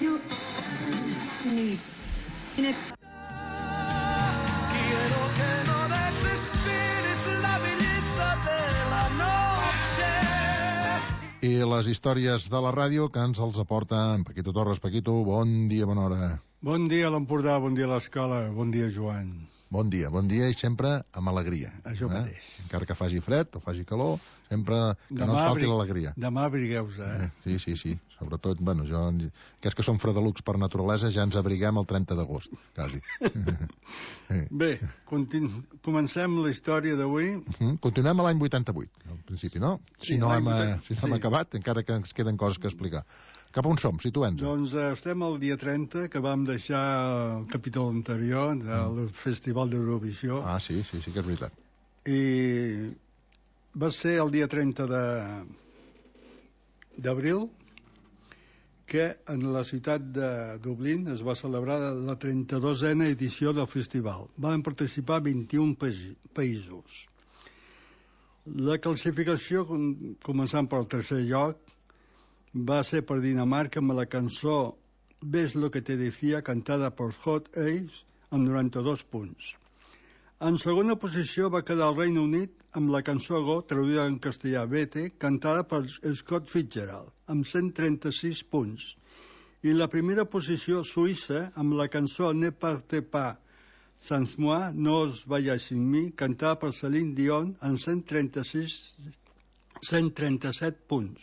Quiero que no desesperes la belleza de la noche. I les històries de la ràdio que ens els aporta en Paquito Torres. Paquito, bon dia, bona hora. Bon dia a l'Empordà, bon dia a l'escola, bon dia Joan. Bon dia i sempre amb alegria. Això mateix. Encara que faci fred o faci calor, sempre que no ens falti l'alegria. Demà abrigueu-vos, Sí. Sobretot, bueno, aquests que som fredelucs per naturalesa ja ens abriguem el 30 d'agost, quasi. Bé, comencem la història d'avui. Continuem a l'any 88, al principi, no? Si no hem acabat, encara que ens queden coses que explicar. Cap on som? Situem-nos. Doncs estem al dia 30, que vam deixar el capítol anterior del Festival d'Eurovisió. Ah, sí, que és veritat. I va ser el dia 30 d'abril que en la ciutat de Dublín es va celebrar la 32a edició del festival. Van participar 21 països. La classificació, començant pel tercer lloc, va ser per Dinamarca amb la cançó Ves lo que te decía, cantada per Hot Ace, amb 92 punts. En segona posició va quedar el Regne Unit amb la cançó Go, traduïda en castellà Vete, cantada per Scott Fitzgerald, amb 136 punts. I la primera posició, Suïssa, amb la cançó Ne partez pas sans moi, No os vayáis sin mí, cantada per Celine Dion, amb 137 punts.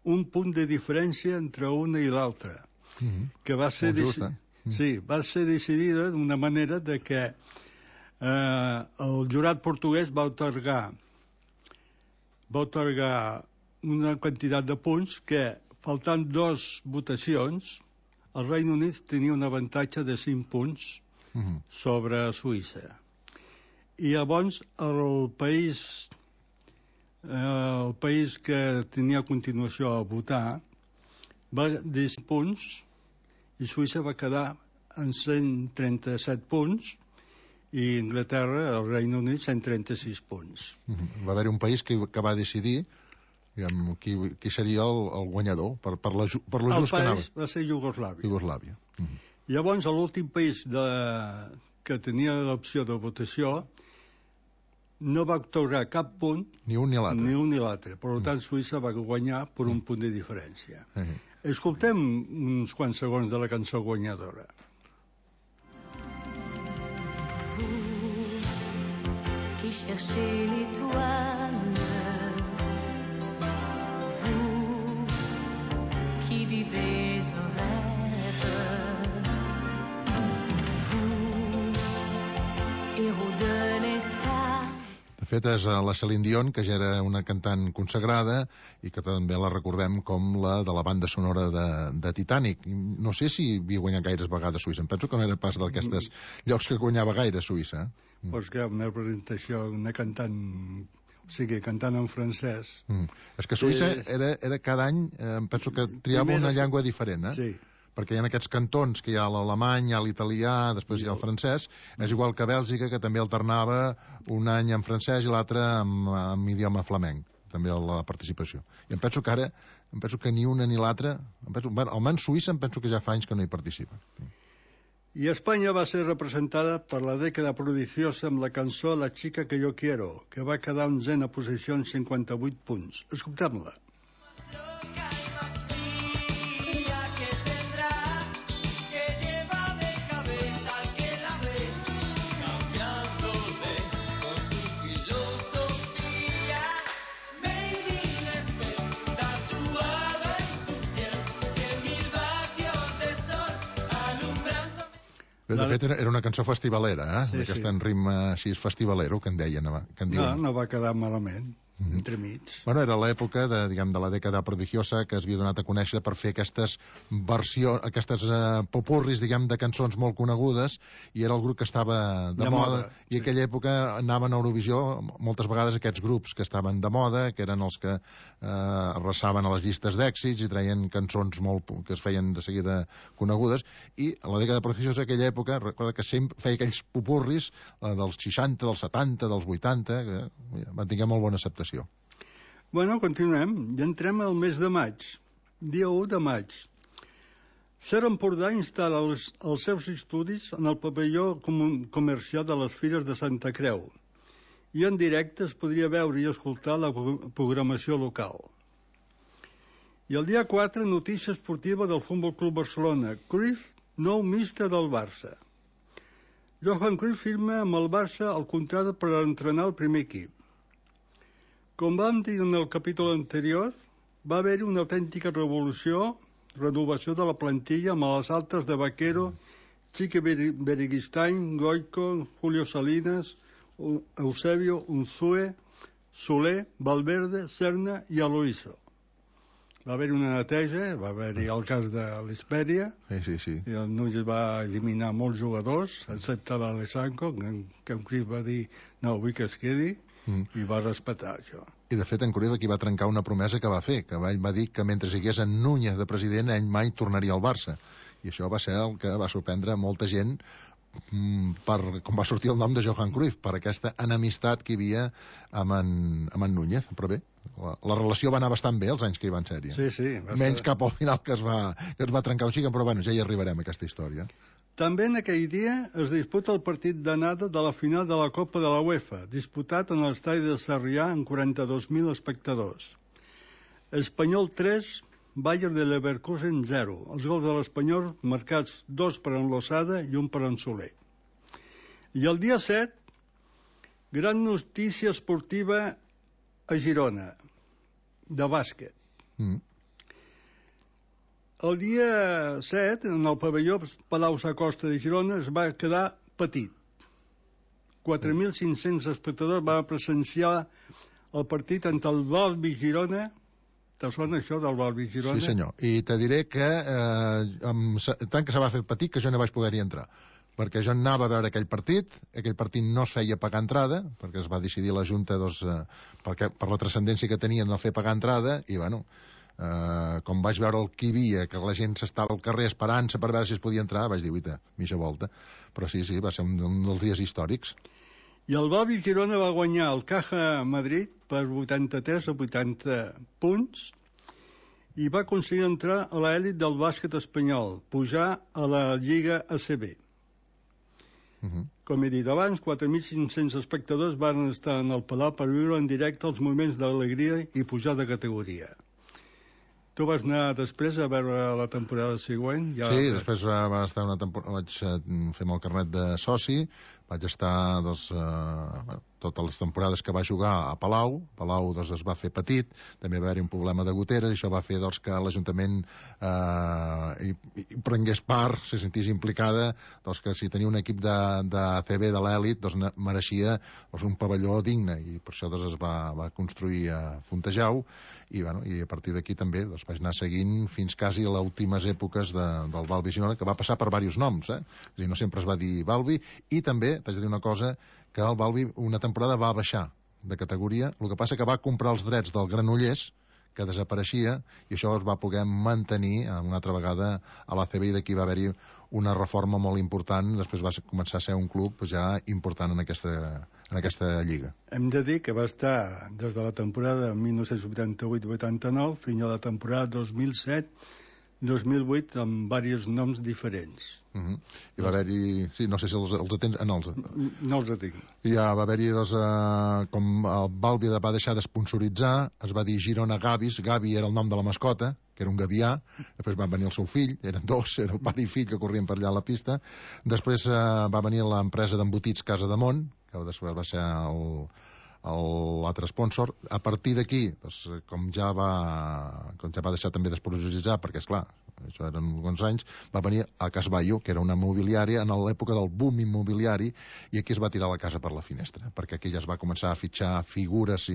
Un punt de diferència entre una i l'altra, que va ser va ser decidida d'una manera de que el jurat portuguès va atorgar una quantitat de punts que, faltant 2 votacions, el Regne Unit tenia un avantatge de 5 punts sobre Suïssa. I llavors el país que tenia a continuació a votar va dir 5 punts i Suïssa va quedar en 137 punts i Anglaterra, el Regne Unit, 136 punts. Va haver un país que va decidir qui seria el guanyador per lo just que anava. El país va ser Iugoslàvia. Llavors l'últim país que tenia l'opció de votació no va atorgar cap punt, ni un ni l'altre. Per tant, Suïssa va guanyar per un punt de diferència. Escoltem uns quants segons de la cançó guanyadora. Vous qui cherchez l'étoile, vous qui vivez un rêve, vous, héros de l'espace. De fet, és la Celine Dion, que ja era una cantant consagrada i que també la recordem com la de la banda sonora de Titanic. No sé si havia guanyat gaires vegades Suïssa. Em penso que no era pas d'aquestes llocs que guanyava gaire Suïssa. Pues que una presentació, una cantant, o sigui, cantant en francès. És que Suïssa era cada any, em penso que triava una llengua diferent, Sí. Perquè hi ha aquests cantons que hi ha l'alemany, hi ha l'italià, després hi ha el francès. És igual que Bèlgica, que també alternava un any en francès i l'altre en idioma flamenc, també la participació. I em penso que ni una ni l'altra, almenys Suïssa em penso que ja fa anys que no hi participa. I Espanya va ser representada per la dècada prodigiosa amb la cançó La chica que yo quiero, que va quedar en 11a posició amb 58 punts. Escoltem-la. De fet, era una cançó festivalera, d'aquesta en ritme així festivalero, que en deien. No va quedar malament. entremig. Bueno, era l'època de la dècada prodigiosa que es havia donat a conèixer per fer aquestes versions, aquestes popurris, diguem, de cançons molt conegudes, i era el grup que estava de moda, i aquella època anaven a Eurovisió moltes vegades aquests grups que estaven de moda, que eren els que arrasaven a les llistes d'èxits i traien cançons que es feien de seguida conegudes, i a la dècada prodigiosa aquella època, recorda que sempre feia aquells popurris dels 60, dels 70, dels 80, que van tenir molt bona acceptació. Bueno, continuem. Ja entrem al mes de maig. Dia 1 de maig. Ser Empordà instal·la els seus estudis en el pavelló comercial de les Fires de Santa Creu i en directe es podria veure i escoltar la programació local. I el dia 4, notícia esportiva del Futbol Club Barcelona. Cruyff, nou míster del Barça. Johan Cruyff firma amb el Barça el contracte per entrenar el primer equip. Com vam dir en el capítol anterior, va haver-hi una autèntica renovació de la plantilla amb les altes de Vaquero, Chiqui Beristain, Goico, Julio Salinas, Eusebio, Unzue, Soler, Valverde, Serna i Aloïso. Va haver-hi una neteja, va haver-hi el cas de l'Hespèria, sí. i el Núñez va eliminar molts jugadors, excepte l'Alessanco, que en Cruyff va dir no, vull que es quedi, i va respectar això. I de fet en Cruyff aquí va trencar una promesa que va fer, que va dir que mentre hi hagués en Núñez de president ell mai tornaria al Barça, i això va ser el que va sorprendre molta gent com va sortir el nom de Johan Cruyff, per aquesta enemistat que hi havia amb en Núñez. Però bé, la relació va anar bastant bé els anys que hi van ser-hi. Sí. Menys cap al final que es va trencar un xic, però bueno, ja hi arribarem a aquesta història. També en aquell dia es disputa el partit d'anada de la final de la Copa de la UEFA, disputat en l'estadi de Sarrià amb 42.000 espectadors. Espanyol 3, Bayern de Leverkusen 0. Els gols de l'Espanyol marcats 2 per en Losada i 1 per en Soler. I el dia 7, gran notícia esportiva a Girona, de bàsquet. El dia 7, en el pavelló Palau Sacosta de Girona, es va quedar petit. 4.500 espectadors van presenciar el partit entre el Balbi Girona. Te sona això del Balbi Girona? Sí, senyor. I te diré que tant que se va fer petit que jo no vaig poder-hi entrar. Perquè jo anava a veure aquell partit no es feia pagar entrada, perquè es va decidir la Junta per la transcendència que tenia no fer pagar entrada, i bueno, com vaig veure el que hi havia, que la gent s'estava al carrer esperant-se per veure si es podia entrar, vaig dir, uita, mitja volta. Però sí, va ser un dels dies històrics. I el Balbi Girona va guanyar el Caja Madrid per 83 a 80 punts i va aconseguir entrar a l'elit del bàsquet espanyol, pujar a la Lliga ACB. Com he dit abans, 4.500 espectadors van estar en el Palau per viure en directe els moments d'alegria i pujar de categoria. Tu vas anar després a veure la temporada següent? Sí, després va estar una temporada, vaig fer el carnet de soci, vaig estar totes les temporades que va jugar a Palau es va fer petit, també va haver-hi un problema de goteres, i això va fer que l'Ajuntament hi prengués part, se sentís implicada, que si tenia un equip d'ACB de l'elit mereixia un pavelló digne, i per això es va construir a Fontejau, i a partir d'aquí també vaig anar seguint fins quasi a les últimes èpoques del Balbi Girona, que va passar per diversos noms, és a dir, no sempre es va dir Balbi, i també t'haig de dir una cosa, que el Balbi una temporada va baixar de categoria, el que passa que va comprar els drets del Granollers, que desapareixia, i això es va poder mantenir una altra vegada a l'ACB, i d'aquí va haver-hi una reforma molt important, després va començar a ser un club ja important en aquesta lliga. Hem de dir que va estar des de la temporada 1988-89 fins a la temporada 2007-2008 amb diversos noms diferents. I va haver-hi... Sí, no sé si els atens... No els atenc. Ja va haver-hi, com el Balbi va deixar d'esponsoritzar, es va dir Girona Gavis, Gavi era el nom de la mascota, que era un gavià, després va venir el seu fill, eren dos, era el pare i fill que corrien per allà a la pista, després va venir l'empresa d'embotits Casa de Mont, que després va ser l'altre sponsor. A partir d'aquí, com ja va deixar també d'esponsoritzar, perquè esclar, això eren alguns anys, va venir a Casballo, que era una mobiliària en l'època del boom immobiliari, i aquí es va tirar la casa per la finestra, perquè aquí ja es va començar a fitxar figures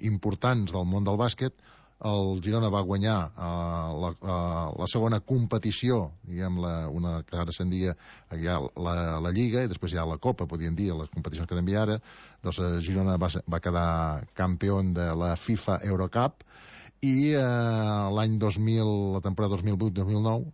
importants del món del bàsquet. El Girona va guanyar la segona competició, diguem, una que ara se'n dia la Lliga, i després hi ha la Copa, podríem dir, les competicions que també ara. Girona va quedar campió de la FIFA Eurocup, i l'any 2000, la temporada 2008-2009,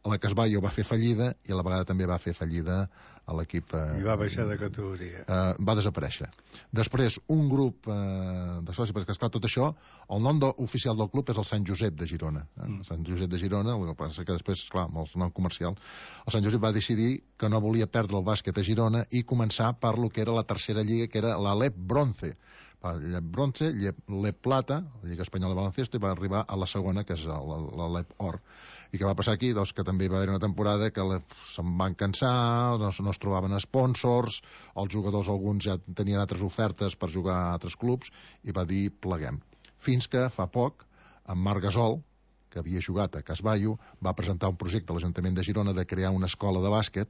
la Casballo va fer fallida i a la vegada també va fer fallida a l'equip... I va baixar de categoria. Va desaparèixer. Després, un grup de socis, perquè esclar, tot això, el nom oficial del club és el Sant Josep de Girona. Sant Josep de Girona, el que passa que després, clar, amb el nom comercial, el Sant Josep va decidir que no volia perdre el bàsquet a Girona i començar per lo que era la tercera lliga, que era la LEP Bronce. Llep Bronze, Llep Plata, la Lliga Espanyola de Baloncesto, i va arribar a la segona, que és la Lep Or. I què va passar aquí? Doncs que també va haver una temporada que se'n van cansar, no es trobaven sponsors, els jugadors alguns ja tenien altres ofertes per jugar a altres clubs, i va dir pleguem. Fins que fa poc, en Marc Gasol, que havia jugat a Casballo, va presentar un projecte a l'Ajuntament de Girona de crear una escola de bàsquet.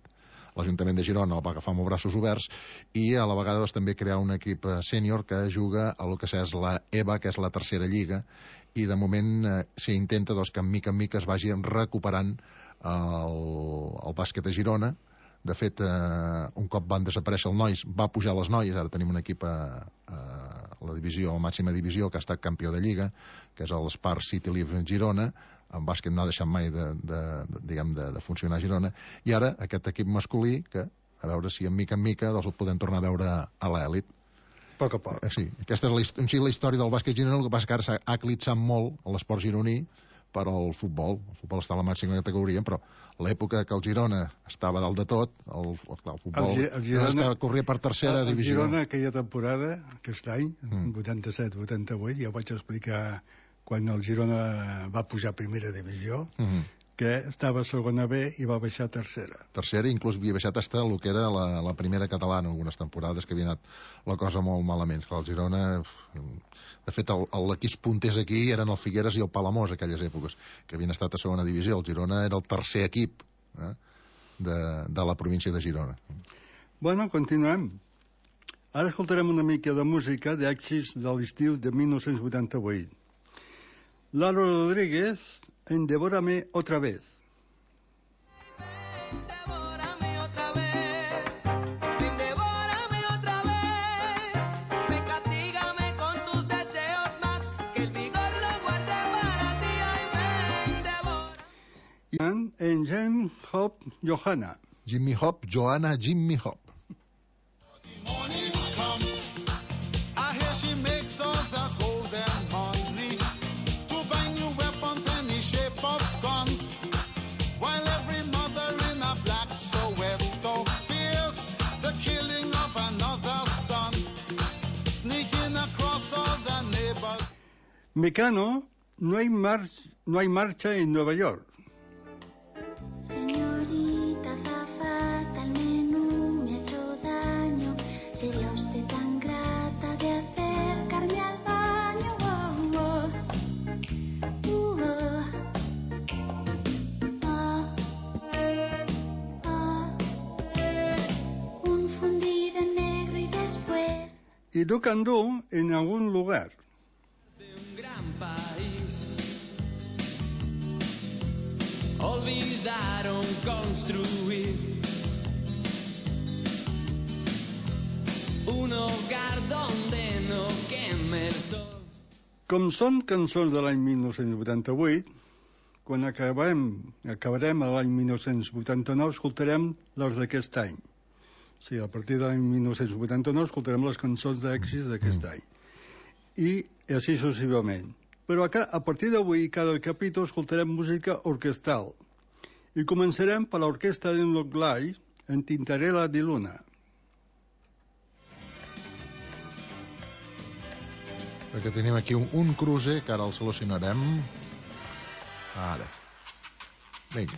L'Ajuntament de Girona el va agafar amb els braços oberts i a la vegada doncs, també crear un equip sènior que juga a lo que és la EVA, que és la tercera lliga, i de moment s'intenta doncs, que mica en mica es vagi recuperant el bàsquet a Girona. De fet, un cop van desaparèixer els nois, va pujar les noies, ara tenim un equip a la divisió, a la màxima divisió, que ha estat campió de lliga, que és l'Spar City Live Girona. En bàsquet no ha deixat mai de funcionar a Girona, i ara aquest equip masculí, que a veure si en mica doncs el podem tornar a veure a l'elit. A poc a poc. Sí, aquesta és la història del bàsquet gironí. El que passa que ara s'ha eclipsat molt l'esport gironí per al futbol. El futbol està a la màxima categoria, però l'època que el Girona estava dalt de tot, el futbol el Girona corria per tercera divisió. El Girona aquella temporada, aquest any, 87-88, ja ho vaig explicar quan el Girona va pujar a primera divisió, que estava a segona B i va baixar a tercera. Tercera, inclús havia baixat fins el que era la primera catalana, algunes temporades que havia anat la cosa molt malament. El Girona, de fet, l'equip punters aquí eren el Figueres i el Palamós, aquelles èpoques, que havien estat a segona divisió. El Girona era el tercer equip de la província de Girona. Bueno, continuem. Ara escoltarem una mica de música d'èxits de l'estiu de 1988. Lalo Rodríguez, en Devórame otra vez. Devórame otra vez, ven, devórame otra vez, ven, castígame con tus deseos más, que el vigor lo guarde para ti, ay, ven, devórame. En Jim Hop Johanna. Jimmy Hop, Johanna Jimmy Hop. Morning come, I hear she makes all the golden money to buy new weapons any shape of guns, while every mother in a black Soweto fears the killing of another son, sneaking across all the neighbors. Mecano, no hay marcha en Nueva York. Señorita azafata, el menú me ha hecho daño. ¿Sería usted tan grata de acercarme al baño? Oh, oh. Un fundido en negro y después... Y do candú en algún lugar. De un gran país olvidaron construir un hogar donde no queme el sol. Com són cançons de l'any 1988, quan acabarem l'any 1989, escoltarem les d'aquest any. O sigui, a partir de l'any 1989 escoltarem les cançons d'èxits d'aquest any. I així successivament. Però a partir d'avui, cada capítol escoltarem música orquestal. I començarem per l'orquestra d'Enloglai, en Tintarella di Luna. Perquè tenim aquí un cruce, que ara el solucionarem. Ara. Vinga.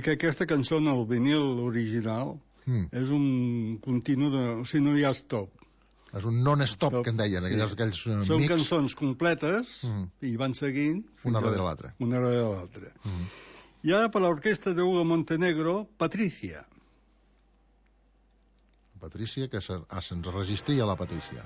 Que aquesta cançó, en el vinil original, és un continu de... O sigui, no hi ha stop. És un non-stop, que en deien, Sí. aquells Són mix. cançons completes i van seguint... Una darrere l'altra. Una darrere l'altra. I ara per l'orquestra de Hugo Montenegro, Patricia. Patricia, que se'ns resistia la Patricia.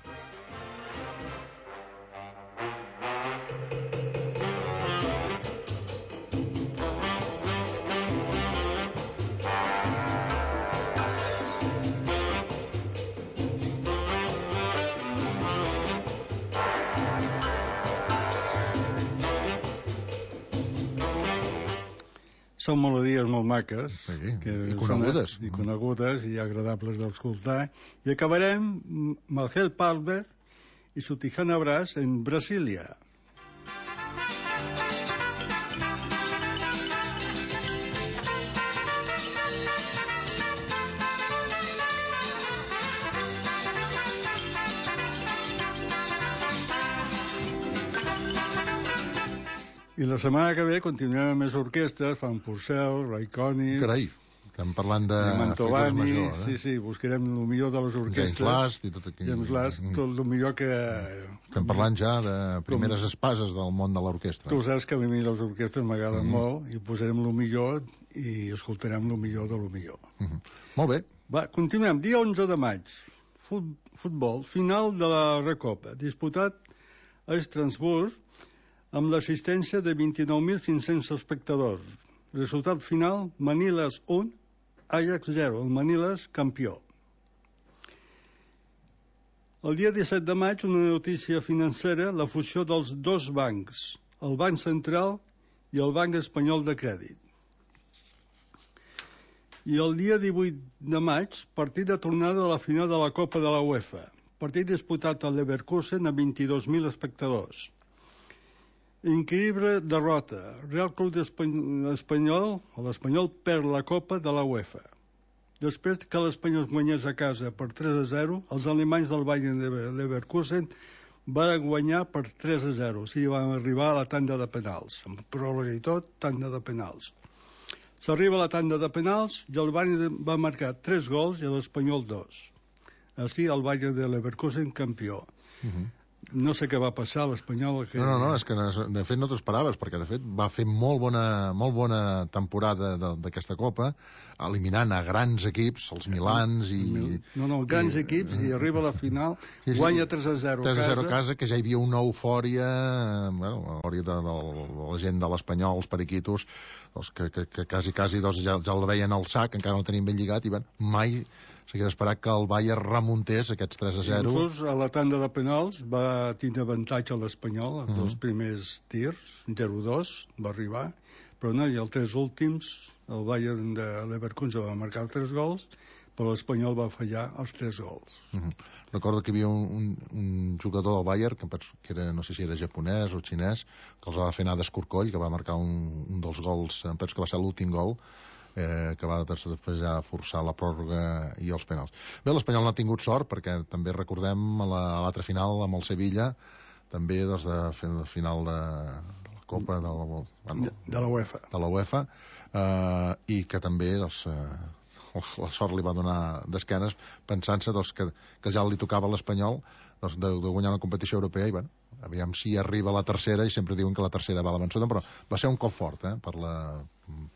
Són melodies molt maques. Sí, que i conegudes. I conegudes i agradables d'escoltar. I acabarem Marcel Palmer i su Tijana Brass en Brasília. I la setmana que ve continuem amb més orquestres, Fan Purcell, Ray Conniff... Carai, estem parlant de Mantovani, figures majors, sí, sí, buscarem el millor de les orquestres. James Last i tot aquí. James Last, tot el millor que... Estem parlant ja de primeres espases del món de l'orquestra. Tu saps que a mi les orquestres m'agraden molt i posarem el millor i escoltarem el millor de lo millor. Molt bé. Va, continuem. Dia 11 de maig. Futbol. Final de la Recopa. Disputat a Estrasburg amb l'assistència de 29.500 espectadors. Resultat final, Maniles 1, Ajax 0. El Maniles, campió. El dia 17 de maig, una notícia financera, la fusió dels dos bancs, el Banc Central i el Banc Espanyol de Crèdit. I el dia 18 de maig, partit de tornada a la final de la Copa de la UEFA. Partit disputat al Leverkusen a 22.000 espectadors. Increïble derrota. Real Club Espanyol, l'Espanyol perd la Copa de la UEFA. Després que l'Espanyol guanyés a casa per 3-0, els alemanys del Bayern de Leverkusen van guanyar per 3-0. O sigui, van arribar a la tanda de penals. Amb pròrroga i tot, tanda de penals. S'arriba a la tanda de penals i el Bayern va marcar 3 gols i l'Espanyol 2. Així el Bayern de Leverkusen campió. No sé què va passar a l'Espanyol. Que... No, és que de fet no t'ho esperaves, perquè de fet va fer molt bona temporada d'aquesta Copa, eliminant a grans equips, els Milans i... grans equips, i arriba a la final, guanya 3-0 a casa, que ja hi havia una eufòria, eufòria de la gent de l'Espanyol, els periquitos, que quasi ja el veien al sac, encara no tenim ben lligat, i mai s'hagués esperat que el Bayern remuntés aquests 3-0. Inclús a la tanda de penals va tenir avantatge a l'Espanyol, els dos primers tirs, 0-2, va arribar, però no, i els 3 últims, el Bayern de Leverkusen va marcar 3 gols, però l'Espanyol va fallar els 3 gols. Recordo que hi havia un jugador del Bayern, que era, no sé si era japonès o xinès, que els va fer anar d'escorcoll, que va marcar un dels gols, em penso que va ser l'últim gol, que va després ja forçar la pròrroga i els penals. Bé, l'Espanyol no ha tingut sort, perquè també recordem a l'altra final amb el Sevilla, també de final de la Copa de la UEFA, i que també la sort li va donar d'esquenes, pensant-se que ja li tocava a l'Espanyol de guanyar la competició europea, i aviam si arriba la tercera, i sempre diuen que la tercera va a la vençuda, però va ser un cop fort per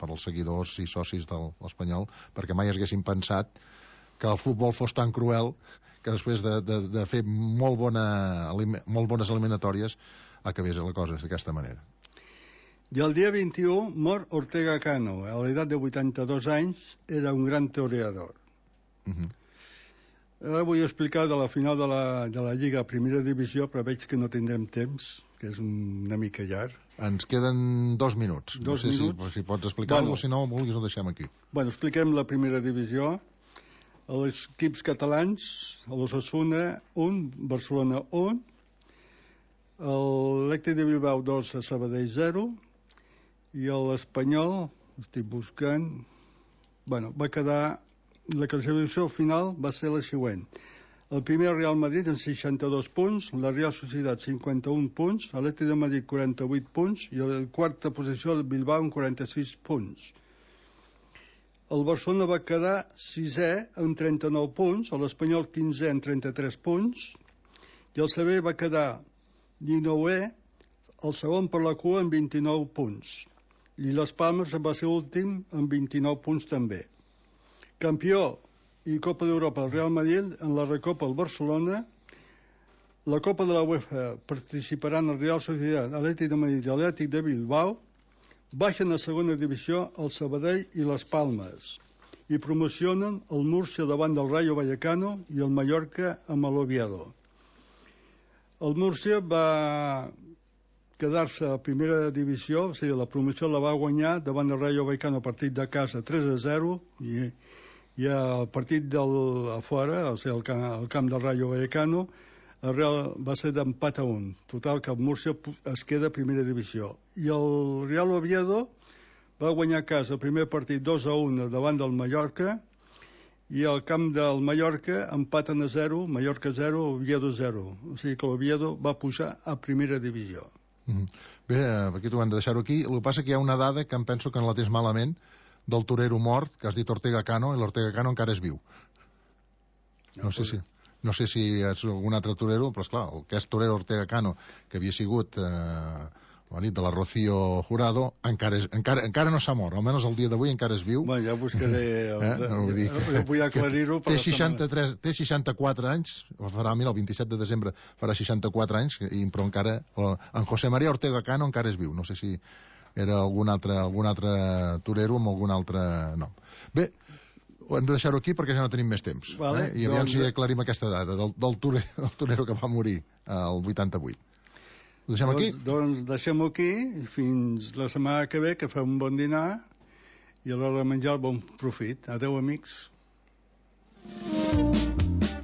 als seguidors i socis de l'Espanyol, perquè mai haguessin pensat que el futbol fos tan cruel que després de fer molt bones eliminatòries acabés la cosa d'aquesta manera. I el dia 21 mor Ortega Cano. A l'edat de 82 anys era un gran toreador. Ara vull explicar de la final de la Lliga Primera Divisió, però veig que no tindrem temps, que és una mica llarg. Ens queden 2 minuts. No sé si pots explicar alguna cosa, si no vulguis ho deixem aquí. Expliquem la Primera Divisió. Els equips catalans, l'Osasuna 1, Barcelona 1, l'Atlètic de Bilbao 2, Sabadell 0, i l'Espanyol, estic buscant, va quedar... La classificació final va ser la següent. El primer Real Madrid amb 62 punts, la Real Societat 51 punts, l'Atlètic de Madrid 48 punts i la quarta posició el Bilbao amb 46 punts. El Barcelona va quedar 6è amb 39 punts, l'Espanyol 15è amb 33 punts i el Sevilla va quedar 19è, el segon per la cua amb 29 punts. I les Palmes va ser últim amb 29 punts també. Campió i Copa d'Europa el Real Madrid, en la Recopa el Barcelona, la Copa de la UEFA participaran el Real Societat, l'Atlètic de Madrid i l'Atlètic de Bilbao, baixen a segona divisió el Sabadell i les Palmes i promocionen el Múrcia davant del Rayo Vallecano i el Mallorca amb l'Oviedo. El Múrcia va quedar-se a primera divisió, o sigui, la promoció la va guanyar davant del Rayo Vallecano, partit de casa 3-0, i el partit a fora, o sigui, el camp del Rayo Vallecano, el Real va ser d'empat a 1. Total, que el Múrcia es queda a primera divisió. I el Real Oviedo va guanyar a casa el primer partit 2-1 davant del Mallorca, i al camp del Mallorca empaten a 0, Mallorca 0, Oviedo 0. O sigui que l'Oviedo va pujar a primera divisió. Bé, aquí t'ho hem de deixar-ho aquí. El que passa que hi ha una dada que em penso que no la tens malament, del torero mort, que has dit Ortega Cano, i l'Ortega Cano encara és viu. No sé si és algun altre torero, però esclar, el que és torero Ortega Cano, que havia sigut la nit de la Rocío Jurado, encara no s'ha mort, almenys el dia d'avui encara és viu. Bueno, ja buscaré vull aclarir-ho. Té 64 anys, farà, mira, el 27 de desembre farà 64 anys, però encara en José María Ortega Cano encara és viu. No sé si era algun altre torero amb algun altre nom. Bé, hem de deixar-ho aquí perquè ja no tenim més temps. Vale, I aviam si aclarim aquesta data del torero que va morir el 88. Ho deixem aquí? Doncs deixem-ho aquí, fins la setmana que ve, que fem un bon dinar, i a l'hora de menjar el bon profit. Adéu, amics.